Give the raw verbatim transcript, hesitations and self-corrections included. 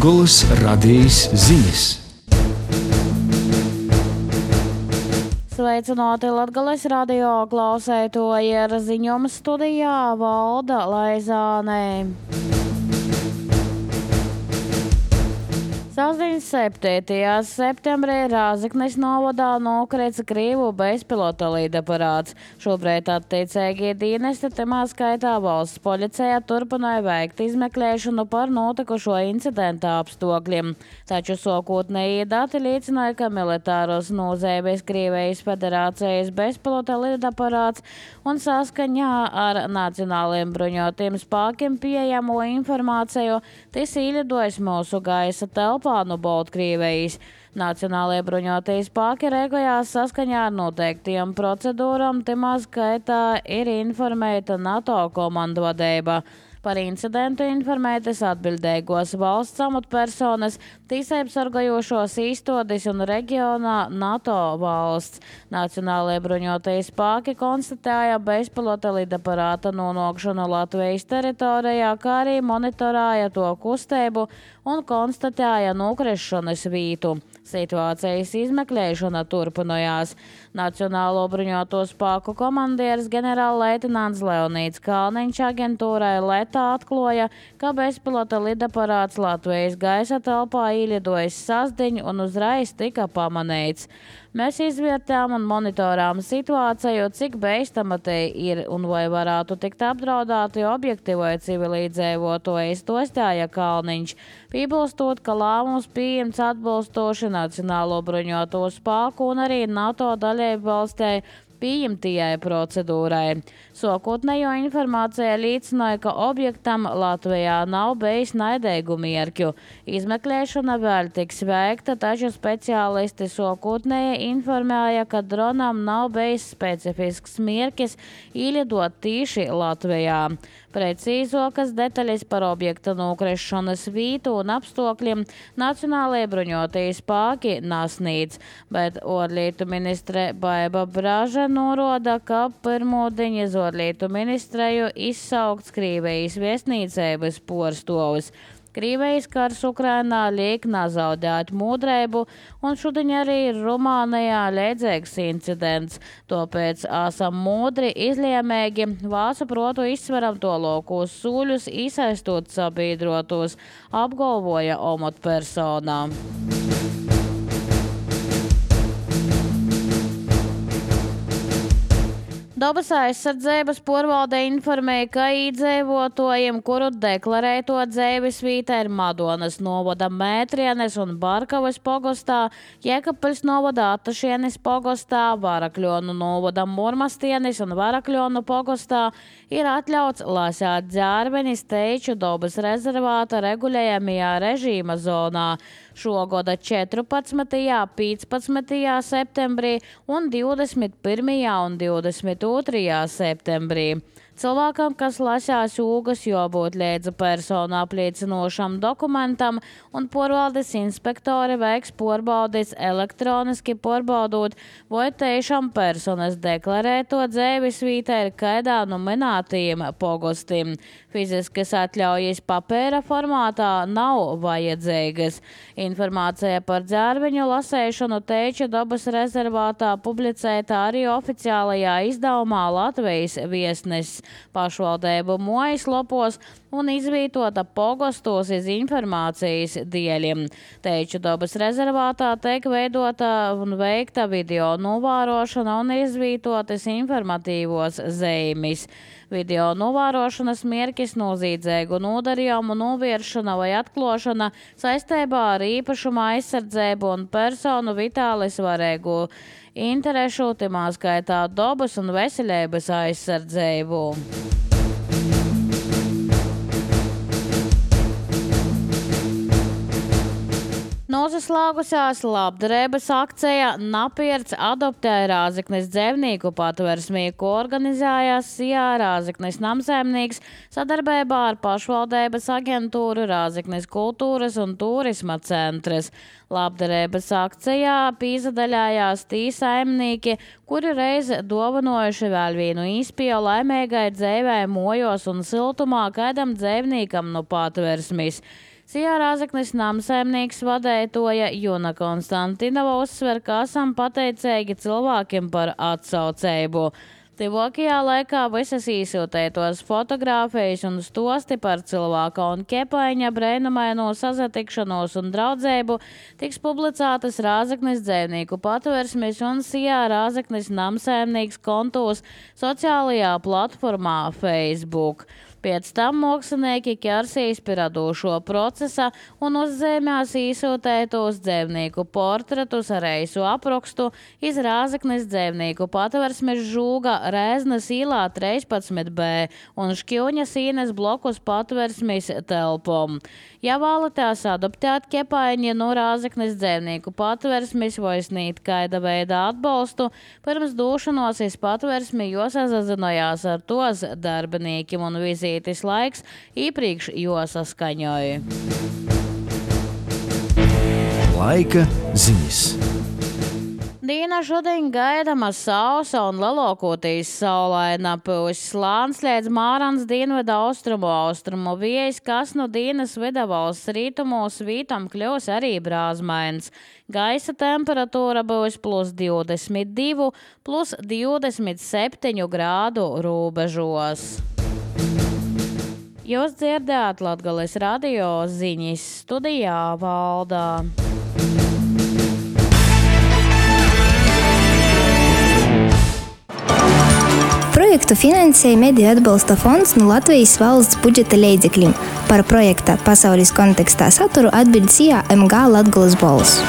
Latgolas radijas ziņas. Sveicināti Latgales radio klausētoji, ir ziņojuma studijā Valda Laizāne. Sasdienas septītajā septembrī Rāzaknes novadā nokrita Krievu bezpilota lidaparāts. Šobrīd attiecīgie dienesti, tamā skaitā valsts policija, turpināja veikt izmeklēšanu par notikušo incidenta apstākļiem. Taču sākotnējie dati liecināja, ka militāros nozīmes Krievijas Federācijas bezpilota lidaparāts un saskaņā ar nacionāliem bruņotiem spēkiem pieejamo informāciju tas īļidojis mūsu gaisa telpā no Baltkrievijas. Nacionālajie bruņotie spēki rēkojās saskaņā ar noteiktiem procedūram, tamā skaitā ir informēta NATO komandu vadība. Par incidentu informētas atbildīgos valsts amatpersonas, tiesību sargājošos īstenības un reģionā NATO valsts. Nacionālajie bruņotie spēki konstatēja bezpilota lidaparāta nonākšanu Latvijas teritorijā, kā arī monitorēja to kustību un konstatēja nokrišanas vietu. Situācijas izmeklēšana turpinājās. Nacionālo bruņoto spēku komandieris ģenerālleitnants Leonīds Kalniņš aģentūrai Leta atklāja, ka bezpilota lidaparāts Latvijas gaisa telpā īļidojis sasdiņu un uzreiz tika pamanīts. Mēs izvērtējām un monitorām situāciju, cik bīstama te ir un vai varētu tikt apdraudēti objekti vai civilizēvotoji, stostāja Kalniņš, piebilstot, ka lēmums pieņemts atbilstoši Nacionālo bruņoto spēku un arī NATO dalību valstī pieņemtajai procedūrai. Sākotnējo informācija liecināja, ka objektam Latvijā nav bijis naidīgu mērķu. Izmeklēšana vēl tiks veikta, taču speciālisti sākotnēji informēja, ka dronam nav bijis specifisks mērķis īļidot tīši Latvijā. Precīzākas detaļas par objekta nokrišanas vietu un apstākļiem Nacionālajie bruņotie spēki nesniedz, bet ārlietu ministre Baiba Braža norāda, ka pirmdien iz ārlietu ministreju izsaukts Krievijas viesnīcības porstovs. Krievijas kars Ukrainā liek nezaudēt mūdrību, un šodien arī ir Rumānijā līdzīgs incidents. Tāpēc esam mūdri, izlēmīgi, vācu protu izsveram to lokos sūļus, iesaistot sabiedrotos, apgalvoja amatpersonā. Dabas aizsardzības pārvalde informēja, ka iedzīvotājiem, kuru deklarēto dzīves vieta ir Madonas novada Mētrienes un Barkavas pogostā, Jēkabpils novada Atašienes pogostā, Varakļonu novada Murmastienes un Varakļonu pogostā, ir atļauts lasēt dzērvenis teiču dabas rezervāta regulējamajā režīma zonā. Šogada četrpadsmitajā, piecpadsmitajā septembrī un divdesmit pirmajā un divdesmit otrajā septembrī. Cilvēkam, kas lasās ūgas, jābūt līdzi personu apliecinošam dokumentam, un pārvaldes inspektori veiks pārbaudis elektroniski pārbaudot, vai tiešām personas deklarēto dzīves vieta ir kaidā no minētajiem pogostiem. Fiziskas atļaujas papēra formātā nav vajadzīgas. Informācija par dzērveņu lasēšanu teiča dabas rezervātā publicēta arī oficiālajā izdevumā Latvijas viesnesis pašvaldību mājaslapos un izvietota pogostos iz informācijas dieļiem. Teiču dabas rezervātā tiek veidota un veikta video novērošana un izvietotas informatīvos zīmes. Video novērošanas mērķis noziedzīgu nodarījumu novēršana vai atklāšana saistībā ar īpašuma aizsardzību un personu vitāli svarīgu interešu, timā skaitā dabas un veselības aizsardzību. Noslēgusies labdarības akcija Napierts adoptēja Rāzaknes dzīvnieku patversmī, ko organizējās Sijā Rāzaknes namsaimnieks sadarbībā ar pašvaldības aģentūru Rāzaknes kultūras un turisma centrs. Labdarības akcijā pīzadaļājās tī saimnieki, kuri reiz dovanojuši vēl vienu īspēju laimīgai dzīvē mojos un siltumā kādam dzīvniekam no patversmis. Sijā Rāzaknis namsaimnieks vadētoja Juna Konstantinova uzsver, ka esam pateicīgi cilvēkiem par atsaucējumu. Tuvākajā laikā visas īsūtētos fotogrāfijas un stosti par cilvēka un Kepaiņa brēnumaino sazatikšanos un draudzēbu tiks publicētas Rāzaknis dzēvnieku patversmes un Sijā Rāzaknis namsaimnieks kontos sociālajā platformā Facebook. Pēc tam mākslinieki ķersīs pie radošo procesa un uzzīmēs īsūtētos dzēvnieku portretus ar eisu aprakstu iz Rāzaknis dzēvnieku patversmes žūga Rēznas īlā trīspadsmit B un Škjuņas īnes blokus patversmes telpom. Ja vēlaties adoptēt Kepaiņi no Rāzaknis dzēvnieku patversmes vai snīt kaida veida atbalstu, pirms došanos iz patversmi josazazinojās ar tos darbiniekiem un vizītes laiks īpriekš josaskaņoja. Laika ziņas. Dīna šodien gaidama sausa un lielākoties saulaina, pūs slāns līdz Mārans dienvidu austrumu austrumu vējs, kas no Dīnas vidavalsts rītumos vītam kļūs arī brāzmains. Gaisa temperatūra būs plus divdesmit divi, plus divdesmit septiņi grādu robežos. Jūs dzirdējāt Latgales radio ziņas, studijā Valdā. Projektu finansēja Mediju atbalsta fonds no Latvijas valsts budžeta līdzekļiem. Par projekta pasaules kontekstā saturu atbild Sijā M G Latgales balss.